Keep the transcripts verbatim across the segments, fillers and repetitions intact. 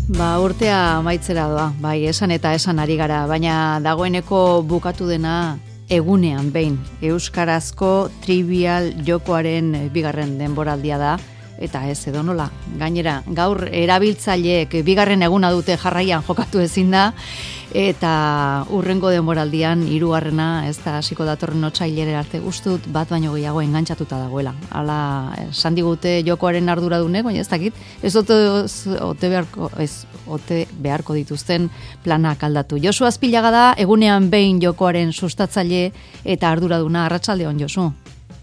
Ba, urtea amaitzera doa, bai, esan eta esan ari gara, baina dagoeneko bukatu dena egunean behin. Euskarazko trivial jokoaren bigarren denboraldia da, eta ez edo nola. Gainera, gaur erabiltzaileek bigarren eguna dute jarraian jokatu ezin da, eta urrengo denboraldian hirugarrena ez da hasiko datorren otsailera arte gustut bat baino gehiago engantzatuta dagoela. Hala, esan digute jokoaren arduradunek, baina ez dakit, ez ote, ote, beharko, ez ote beharko dituzten planak aldatu. Josu Azpilaga da, egunean behin jokoaren sustatzaile eta arduraduna. Arratsaldeon, Josu.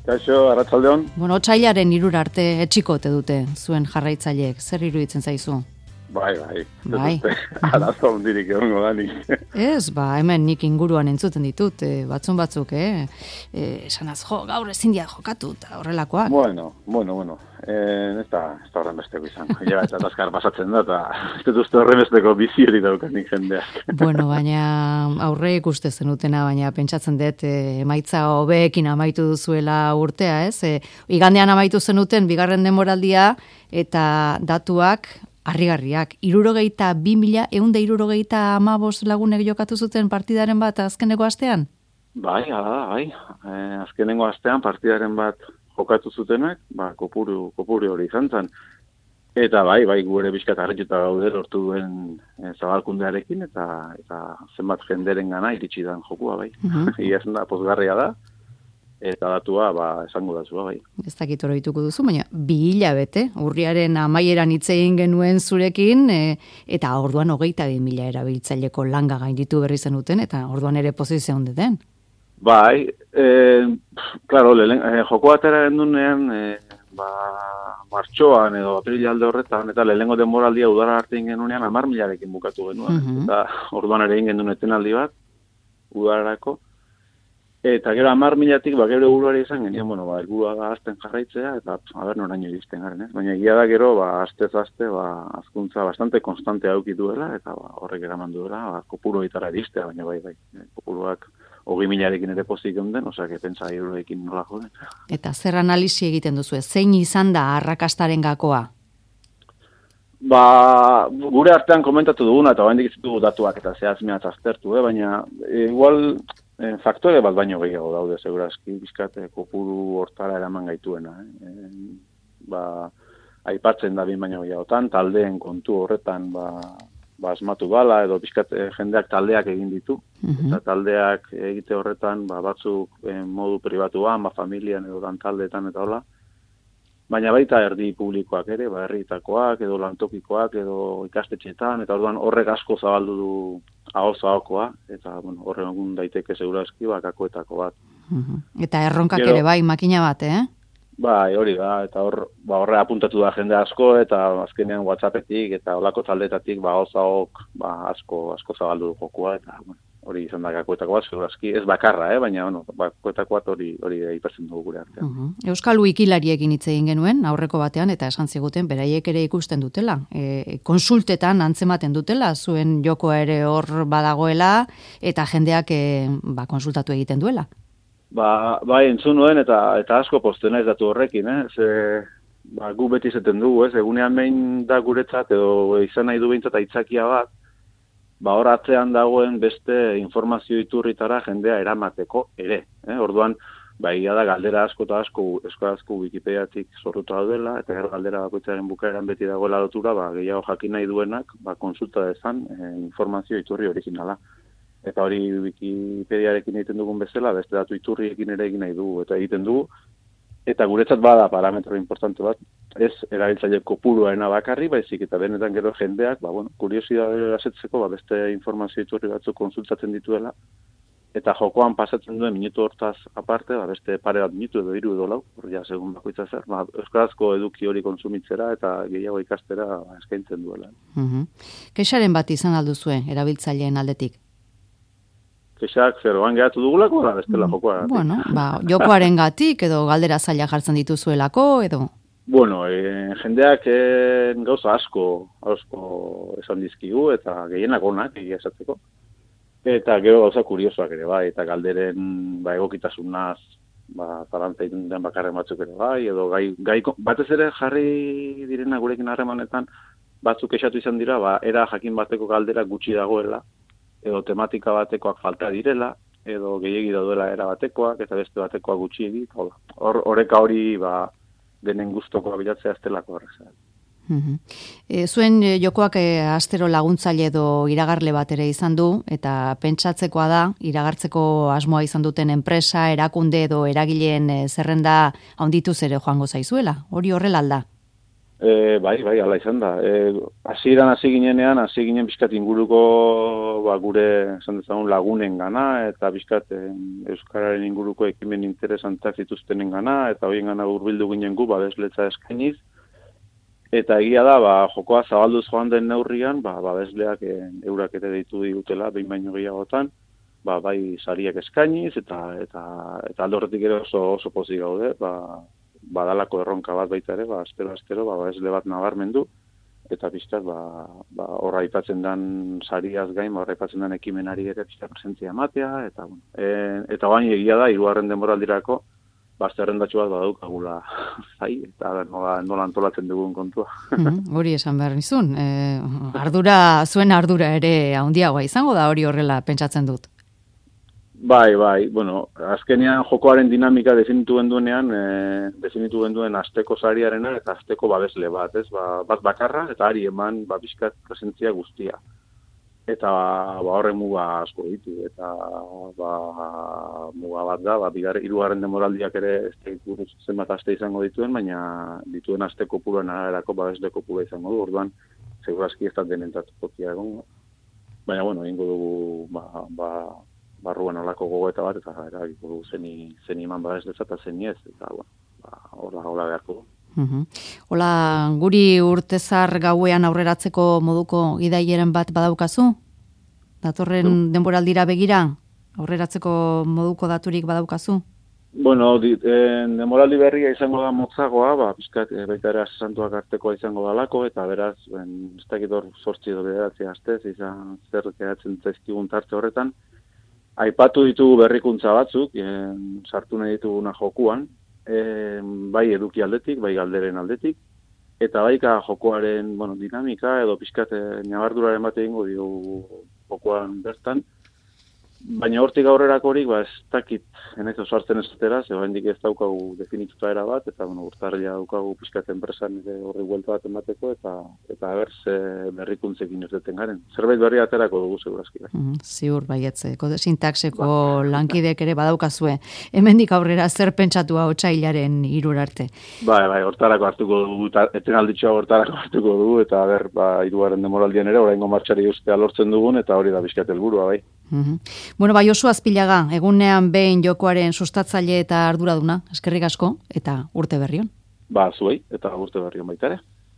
Kaixo, arratsaldeon. Bueno, otsailaren hirura arte etxiko ote dute zuen jarraitzaileek. Zer iruditzen zaizu? Bai, bai. Bai. Arazo hundirik egongo da nik. Ez, ba, hemen nik inguruan entzuten ditut, e, batzun batzuk, eh? E, esanaz, jo, gaur ezin dia jokatu, eta horrelakoak. Bueno, bueno, bueno. Eh, ez da, ez da horren besteko izan. Ja, eta azkar pasatzen da, eta ez dut uste horren besteko bizi hori daukanik jendeak. Bueno, baina aurre ikuste zenutena, baina pentsatzen dut, e, emaitza hobeekin amaitu duzuela urtea, ez? E, igandean amaitu zenuten, bigarren denboraldia, eta datuak, harrigarriak, irurogeita bi mila, eunda irurogeita amabos lagunek jokatu zuten partidaren bat azkeneko astean? Bai, ala da, bai. Eh, azkenengo astean partidaren bat jokatu zutenak, ba, kopuru, kopuru hori izan zen. Eta bai, bai, gure bizkat harrituta gaude lortu duen e, zabalkundearekin, eta eta zenbat jenderen gana iritsi dan jokua, bai. Uh-huh. Iazen da, pozgarria da. Eta datua, ba, esango datzua, bai. Ez dakit oroituko duzu, baina bi hilabete, urriaren amaieran hitz egin genuen zurekin, e, eta orduan hogeita bi mila erabiltzaileko langa gainditu berri zenuten, eta orduan ere pozizio ondeten. Bai, e, klaro, lehen, e, joko atera gendunean, e, ba, martxoan edo aprilalde horretan, eta lehengo denboraldia udara arte egin genunean, amar milarekin bukatu genuen. Uh-huh. Eta orduan ere egin genuen etenaldi bat, udararako. Eta gero amar milatik, ba, gero buruari izan genien, bueno, ba, elburua da azten jarraitzea, eta, haber, noraino iristen garen, ez? Baina egia da gero, ba, astez-aste, ba, azkuntza bastante konstante aukitu dela, eta ba, horrek eraman duela, ba, kopuru itara iristea, baina bai, bai, kopuruak hogei milarekin ere pozik eunden, osea, que pentsa irurekin nola joden. Eta zer analisi egiten duzu, zein izan da arrakastaren gakoa? Ba, gure artean komentatu duguna, eta baindik izutu datuak eta zehazmeat aztertu, eh? Baina, e, igual, E, faktore bat baino gehiago daude, segurazki, bizkat, kopuru hortara eraman gaituena. Eh? E, ba, aipatzen da bin baino gehiagotan, taldeen kontu horretan, ba, ba asmatu bala, edo bizkat jendeak taldeak egin ditu. Uh-huh. Eta taldeak egite horretan, ba, batzuk e, modu pribatuan, ba, familian edo dan taldeetan eta hola. Baina baita erdi publikoak ere, ba, herrietakoak, edo lantokikoak, edo ikastetxeetan, eta orduan horrek asko zabaldu du ahoz-ahokoa, eta bueno, horren egun daiteke segurazki bakakoetako bat. Uh-huh. Eta erronkak Gero, ere bai, makina bat, eh? Bai, hori da, eta hor, ba, horre apuntatu da jende asko, eta azkenean WhatsAppetik, eta olako taldetatik, ba, ahoz-ahok, ba, asko, asko zabaldu du jokua, eta bueno, hori izan da gakoetako bat, segurazki, ez bakarra, eh? Baina, bueno, bakoetako bat hori, hori aipatzen dugu gure artean. Uh-huh. Euskal Wikilariekin hitz egin genuen, aurreko batean, eta esan ziguten, beraiek ere ikusten dutela. E, konsultetan antzematen dutela, zuen jokoa ere hor badagoela, eta jendeak e, ba, konsultatu egiten duela. Ba, bai, entzun nuen, eta, eta asko postena ez datu horrekin, eh? Ze, ba, gu beti izaten dugu, ez? Egunean behin da guretzat, edo izan nahi du behintzat aitzakia bat, ba, hor atzean dagoen beste informazio iturritara jendea eramateko ere. Eh? Orduan, ba, egia da galdera asko eta asko, euskarazko Wikipediatik zorrutu daudela, eta gero galdera bakoitzaren bukaeran beti dagoela lotura, ba, gehiago jakin nahi duenak, ba, konsulta dezan eh, informazio iturri originala. Eta hori Wikipediarekin egiten dugun bezala, beste datu iturriekin ere egin nahi dugu, eta egiten dugu, eta guretzat bada parametro importante bat, ez erabiltzaile kopuruarena bakarri, baizik eta benetan gero jendeak, ba, bueno, kuriosidadea asetzeko, ba, beste informazio iturri batzuk konsultatzen dituela, eta jokoan pasatzen duen minutu hortaz aparte, ba, beste pare bat minutu edo hiru edo lau, hor ja, segun bakoitza zer, ba, euskarazko eduki hori konsumitzera eta gehiago ikastera ba, eskaintzen duela. Uh-huh. Kexaren bat izan alduzue, erabiltzaileen aldetik? Kexak zeroan gehatu dugulako, da bestela jokoa. Bueno, ba, jokoaren gatik, edo galdera zaila jartzen dituzuelako, edo... Bueno, e, jendeak e, gauza asko, asko esan dizkigu, eta gehienak onak, egia esatzeko. Eta gero gauza kuriosoak ere bai, eta galderen ba, egokitasunaz, ba, zarantza egiten den bakarren batzuk ere bai, edo gai, gai, batez ere jarri direna gurekin harremanetan, batzuk esatu izan dira, ba, era jakin bateko galdera gutxi dagoela, edo tematika batekoak falta direla, edo gehiegi daudela era batekoak, eta beste batekoak gutxiegi. Hor, horreka hori, ba, denen gustokoa bilatzea ez delako horreza. Mm-hmm. E, zuen jokoak e, astero laguntzaile edo iragarle bat ere izan du, eta pentsatzekoa da, iragartzeko asmoa izan duten enpresa, erakunde edo eragileen e, zerrenda handituz ere joango zaizuela. Hori horrela alda? E, bai, bai, ala izan da. E, hasieran hasi ginenean, hasi ginen bizkat inguruko ba, gure esan dezagun lagunen gana, eta bizkat e, Euskararen inguruko ekimen interesantak zituztenen gana, eta horien gana hurbildu ginen gu, babesletza eskainiz. Eta egia da, ba, jokoa zabalduz joan den neurrian, ba, babesleak e, eurak ere deitu digutela, behin baino gehiagotan, ba, bai sariak eskainiz, eta eta eta alde horretik ere oso, oso pozik gaude, ba, badalako erronka bat baita ere, ba, astero-astero, ba, babesle bat nabarmendu, eta pixkat, ba, ba, horra aipatzen den sariaz gain, ba, horra aipatzen den ekimenari ere pixkat presentzia ematea, eta, bueno, e, eta bain egia da, hirugarren denboraldirako, ba, zerrendatxo bat badaukagula zai, eta nola, nola antolatzen dugun kontua. Mm-hmm, hori esan behar nizun. E, ardura, zuen ardura ere handiagoa izango da hori horrela pentsatzen dut. Bai, bai, bueno, azkenean jokoaren dinamika definitu genduenean, e, definitu genduen asteko sariarena eta asteko babesle bat, ez? Ba, bat bakarra eta ari eman ba, bizkat presentzia guztia. Eta ba, horre muga asko ditu, eta ba, muga bat da, ba, bigar, hirugarren demoraldiak ere ez da zenbat aste izango dituen, baina dituen aste kopuruen araberako babesle kopura izango du, orduan, segurazki ez da denentzat tokia egon. Baina, bueno, egingo dugu, ba, ba, barruan olako gogoeta bat, eta eragiko dugu zeni, zeni eman babesletza eta zeni ez, eta, bueno, ba, hola, hola beharko du. Uhum. Hola, guri urtezar gauean aurreratzeko moduko gidaieren bat badaukazu? Datorren mm. denboraldira begira? Aurreratzeko moduko daturik badaukazu? Bueno, di, eh, denboraldi berria izango da motzagoa, ba, pizkat, eh, baita ere asesantuak artekoa izango dalako, eta beraz, ben, ez dakit hor sortzi edo bederatzi astez, izan zer geratzen zaizkigun tarte horretan. Aipatu ditugu berrikuntza batzuk, eh, sartu nahi dituguna jokuan, E, bai eduki aldetik, bai galderen aldetik, eta baika jokoaren bueno, dinamika edo pixkat nabarduraren bat egingo diogu jokoan bertan, baina hortik aurrerakorik ba, ez dakit enaiz oso hartzen esatera, ze oraindik ez daukagu definituta era bat, eta bueno, urtarrila daukagu pixkat enpresan ere horri buelta bat emateko, eta eta berz berrikuntzekin irteten garen. Zerbait berri aterako dugu segurazki. Mm, ziur baietze, kode sintaxeko ba. Lankidek ere badaukazue. Hemendik aurrera zer pentsatua otsailaren hirura arte. Bai, bai, hortarako hartuko dugu, etenalditxoa hortarako hartuko dugu, eta ber, ba, hirugarren demoraldian ere, oraingo martxari ustea lortzen dugun, eta hori da bizkat helburua bai. Mm-hmm. Bueno, bai, Josu Azpilaga, egunean behin jokoaren sustatzaile eta arduraduna, eskerrik asko, eta urte berrion. Ba, zuei, eta urte berrion baita ere.